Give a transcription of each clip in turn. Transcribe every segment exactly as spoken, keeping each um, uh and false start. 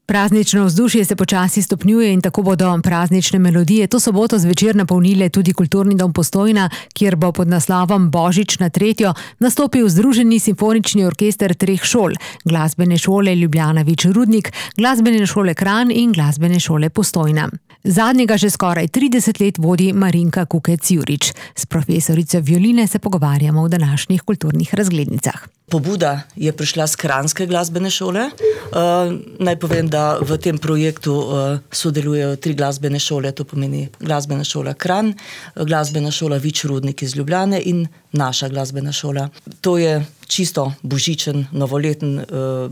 Praznično vzdušje se počasi stopnjuje in tako bodo praznične melodije to soboto zvečer napolnile tudi Kulturni dom Postojna, kjer bo pod naslovom Božič na tretjo nastopil Združeni simfonični orkester treh šol, Glasbene šole Ljubljana Vič Rudnik, Glasbene šole Kranj in Glasbene šole Postojna. Zadnjega že skoraj trideset let vodi Marinka Kukec Jurič. S profesorico violine se pogovarjamo v današnjih kulturnih razglednicah. Pobuda je prišla z Kranjske glasbene šole. Uh, naj povem, da v tem projektu uh, sodelujejo tri glasbene šole, to pomeni Glasbena šola Kranj, Glasbena šola Vič Rudnik iz Ljubljane in naša glasbena šola. To je čisto božičen, novoleten uh,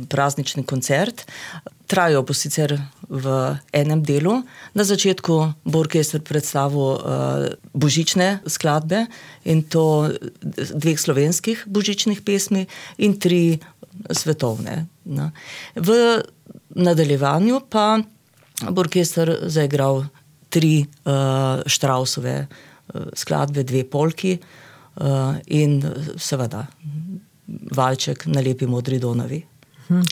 praznični koncert. Trajajo bo sicer v enem delu. Na začetku bo orkester predstavil uh, božične skladbe in to dveh slovenskih božičnih pesmi in tri svetovne. No. V nadaljevanju pa bo orkester zaigral tri uh, Štrausove uh, skladbe, dve polki uh, in seveda valček na Lepi modri Donavi.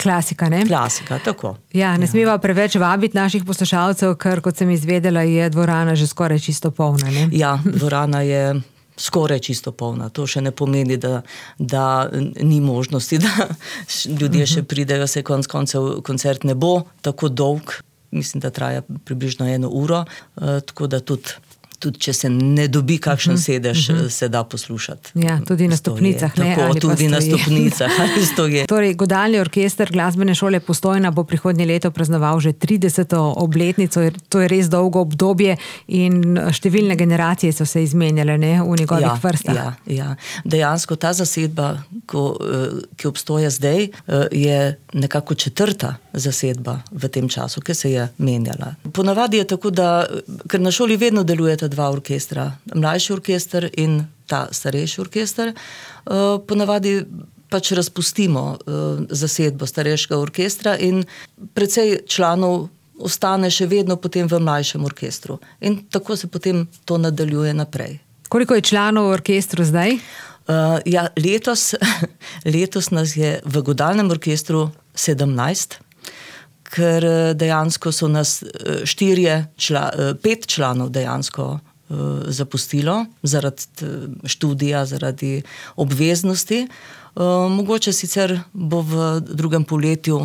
Klasika, ne? Klasika, tako. Ja, ne smeva preveč vabiti naših poslušalcev, ker kot sem izvedela, je dvorana že skoraj čisto polna, ne? Ja, dvorana je skoraj čisto polna. To še ne pomeni, da, da ni možnosti, da ljudje še pridejo, se konc koncev koncert ne bo tako dolg. Mislim, da traja približno eno uro, tako da tudi tudi če se ne dobi kakšen sedež, uh-huh. se da poslušati. Ja, tudi na stopnicah. Ne, tako, tudi na stopnicah. Torej, Godalni orkester Glasbene šole Postojna bo prihodnje leto praznoval že trideseto obletnico. To je res dolgo obdobje in številne generacije so se izmenjale, ne, v njegovih ja, vrstah. Ja, ja. Dejansko ta zasedba, ko, ki obstoja zdaj, je nekako četrta zasedba v tem času, ki se je menjala. Ponavadi je tako, da ker na šoli vedno delujeta dva orkestra, mlajši orkester in ta starejši orkester, ponavadi pač razpustimo zasedbo starejšega orkestra in precej članov ostane še vedno potem v mlajšem orkestru. In tako se potem to nadaljuje naprej. Koliko je članov v orkestru zdaj? Uh, ja, letos, letos nas je v Godalnem orkestru sedemnajst, ker dejansko so nas štirje, čla, pet članov dejansko uh, zapustilo zaradi študija, zaradi obveznosti. Uh, mogoče sicer bo v drugem poletju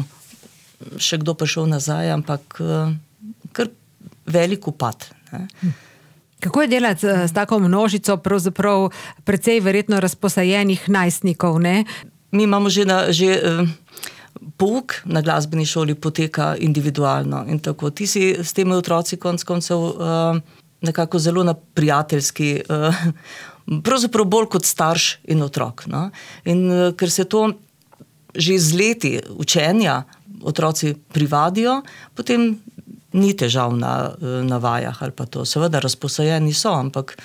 še kdo prišel nazaj, ampak uh, kar velik upad. Ne? Kako je delati s tako množico, pravzaprav precej verjetno razposajenih najstnikov, ne? Mi imamo že, na, že uh, pouk na glasbeni šoli poteka individualno in tako. Ti si s temi otroci konc koncev uh, nekako zelo na prijateljski, uh, pravzaprav bolj kot starš in otrok. No? In uh, ker se to že z leti učenja otroci privadijo, potem ni težav na, na vajah ali pa to. Seveda razposajeni so, ampak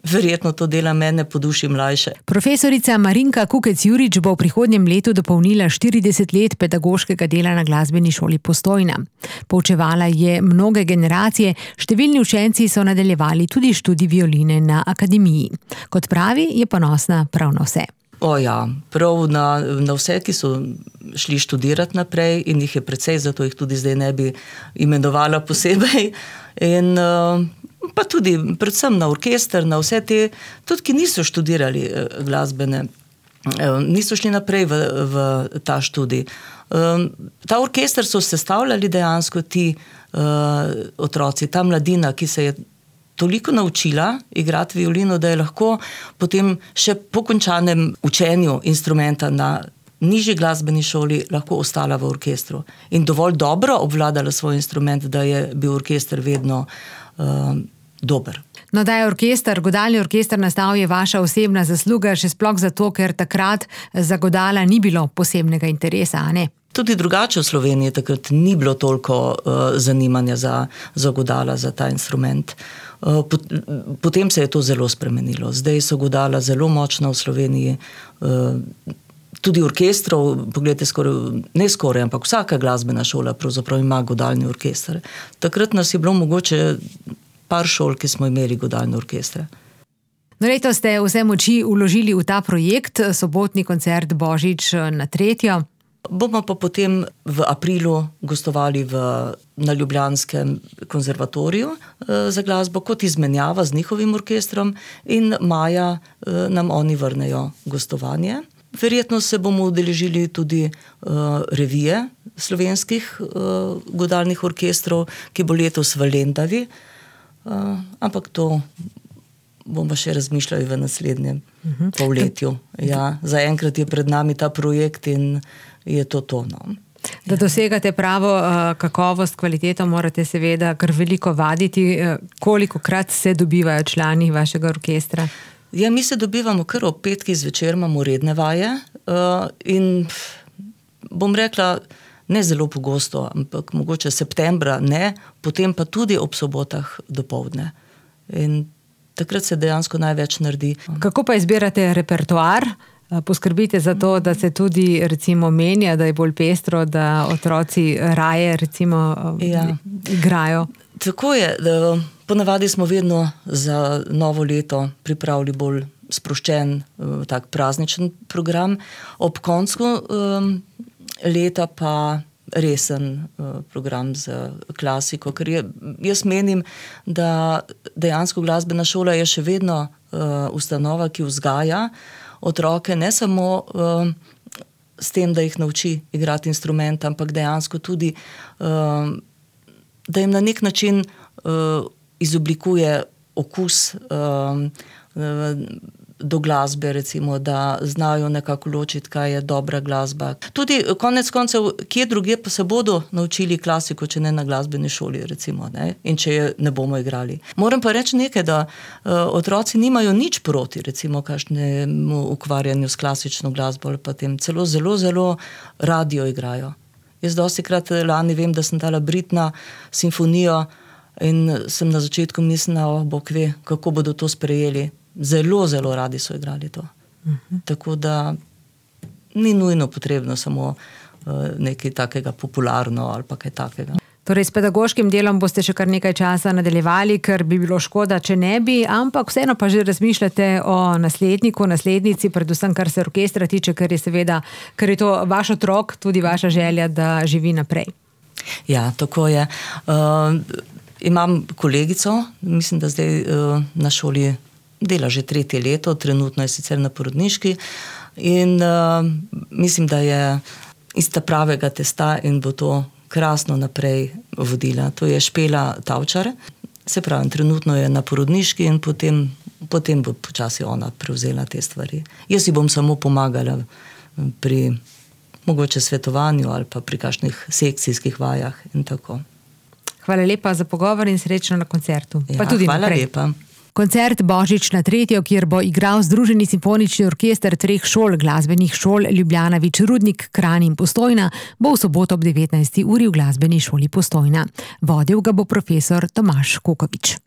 verjetno to dela mene po duši mlajše. Profesorica Marinka Kukec Jurič bo v prihodnjem letu dopolnila štirideset let pedagoškega dela na Glasbeni šoli Postojna. Poučevala je mnoge generacije, številni učenci so nadaljevali tudi študij violine na akademiji. Kot pravi, je ponosna prav na vse. O ja, prav na, na vse, ki so šli študirati naprej in jih je precej, zato jih tudi zdaj ne bi imenovala posebej. In pa tudi predvsem na orkester, na vse te, tudi ki niso študirali glasbene, niso šli naprej v, v ta študij. Ta orkester so sestavljali dejansko ti uh, otroci, ta mladina, ki se je toliko naučila igrati violino, da je lahko potem še po končanem učenju instrumenta na nižji glasbeni šoli lahko ostala v orkestru. In dovolj dobro obvladala svoj instrument, da je bil orkester vedno uh, dober. No, da je orkester, Godalni orkester nastal, je vaša osebna zasluga, še sploh zato, ker takrat za godala ni bilo posebnega interesa, a ne? Tudi drugače v Sloveniji takrat ni bilo toliko uh, zanimanja za, za godala, za ta instrument. Uh, pot, potem se je to zelo spremenilo. Zdaj so godala zelo močna v Sloveniji. Uh, tudi orkestrov, pogledajte, skoraj, ne skoraj, ampak vsaka glasbena šola pravzaprav ima godalni orkester. Takrat nas je bilo mogoče par šol, ki smo imeli godalne orkestre. No, letos ste vse moči vložili v ta projekt, sobotni koncert Božič na tretjo. Bomo pa potem v aprilu gostovali v, na Ljubljanskem konzervatoriju eh, za glasbo kot izmenjava z njihovim orkestrom in maja eh, nam oni vrnejo gostovanje. Verjetno se bomo udeležili tudi uh, revije slovenskih uh, godalnih orkestrov, ki bo letos v Lendavi, uh, ampak to bomo še razmišljali v naslednjem uh-huh. polletju. Ja, zaenkrat je pred nami ta projekt in je to to. No. Da dosegate pravo uh, kakovost, kvaliteto, morate seveda kar veliko vaditi. Uh, kolikokrat se dobivajo člani vašega orkestra? Ja, mi se dobivamo kar ob petkih zvečer, imamo redne vaje uh, in bom rekla, ne zelo pogosto, ampak mogoče septembra ne, potem pa tudi ob sobotah dopoldne. In takrat se dejansko največ naredi. Kako pa izbirate repertoar? Poskrbite za to, da se tudi recimo menja, da je bolj pestro, da otroci raje recimo ja. igrajo? Tako je, da ponavadi smo vedno za novo leto pripravili bolj sproščen, tak prazničen program. Ob koncu um, leta pa resen uh, program za klasiko, ker je, jaz menim, da dejansko glasbena šola je še vedno uh, ustanova, ki vzgaja otroke ne samo uh, s tem, da jih nauči igrati instrument, ampak dejansko tudi uh, da jim na nek način uh, izoblikuje okus uh, uh, do glasbe, recimo, da znajo nekako ločiti, kaj je dobra glasba. Tudi konec koncev, kje druge pa se bodo naučili klasiko, če ne na glasbeni šoli, recimo, ne? In če je ne bomo igrali. Moram pa reči nekaj, da uh, otroci nimajo nič proti, recimo, kakšnemu ukvarjanju s klasično glasbo ali pa tem celo zelo, zelo radio igrajo. Jaz dostikrat lani vem, da sem dala Britna simfonijo in sem na začetku mislila, oh, Bog ve, kako bodo to sprejeli. Zelo, zelo radi so igrali to. Uh-huh. Tako da ni nujno potrebno samo uh, nekaj takega popularno ali pa kaj takega. Torej, s pedagoškim delom boste še kar nekaj časa nadaljevali, ker bi bilo škoda, če ne bi, ampak vseeno pa že razmišljate o nasledniku, naslednici, predvsem kar se orkestra tiče, ker je seveda, ker je to vaš otrok, tudi vaša želja, da živi naprej. Ja, tako je. Uh, imam kolegico, mislim, da zdaj uh, na šoli dela že tretje leto, trenutno je sicer na porodniški in uh, mislim, da je ista pravega testa in bo to krasno naprej vodila. To je Špela Tavčar. Se pravi, trenutno je na porodniški in potem, potem bo počasi ona prevzela te stvari. Jaz si bom samo pomagala pri mogoče svetovanju ali pa pri kakšnih sekcijskih vajah in tako. Hvala lepa za pogovor in srečno na koncertu. Ja, pa tudi hvala naprej. lepa. Koncert Božična tretjo, kjer bo igral Združeni simfonični orkester treh šol, glasbenih šol Ljubljana, Vič, Rudnik, Kranj in Postojna, bo v soboto ob devetnajsti uri v glasbeni šoli Postojna. Vodil ga bo profesor Tomaž Kukovič.